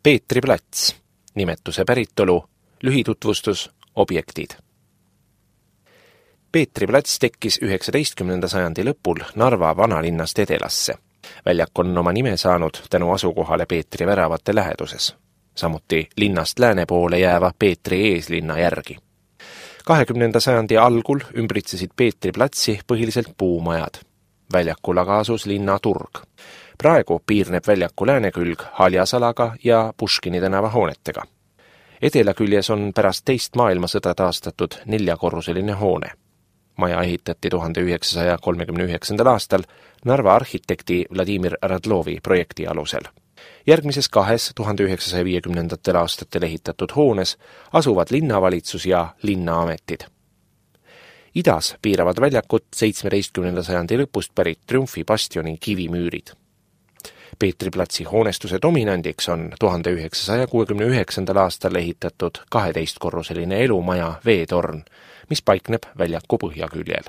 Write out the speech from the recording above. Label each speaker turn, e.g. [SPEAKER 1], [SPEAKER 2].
[SPEAKER 1] Peetri plats, nimetuse päritolu, lühitutvustus, objektid. Peetri plats tekkis 19. sajandi lõpul Narva vanalinnast edelasse. Väljak on oma nime saanud tänu asukohale Peetri väravate läheduses, samuti linnast lääne poole jääva Peetri eeslinna järgi. 20. sajandi algul ümbritsesid Peetri platsi põhiliselt puumajad. Väljakul aga asus linna turg. Praegu piirneb väljaku läänekülg Haljasalaga ja Puškini tänava hoonetega. Edelaküljes on pärast teist maailmasõda taastatud 4-korruseline hoone. Maja ehitati 1939. aastal Narva arhitekti Vladimir Radlovi projekti alusel. Järgmises 2 1950. aastatel ehitatud hoones asuvad linnavalitsus ja linnaametid. Idas piiravad väljakut 17. sajandi lõpust pärit Triumfi bastioni kivimüürid. Peetri platsi hoonestuse dominandiks on 1969. aastal ehitatud 12-korruseline elumaja Veetorn, mis paikneb väljaku põhjaküljel.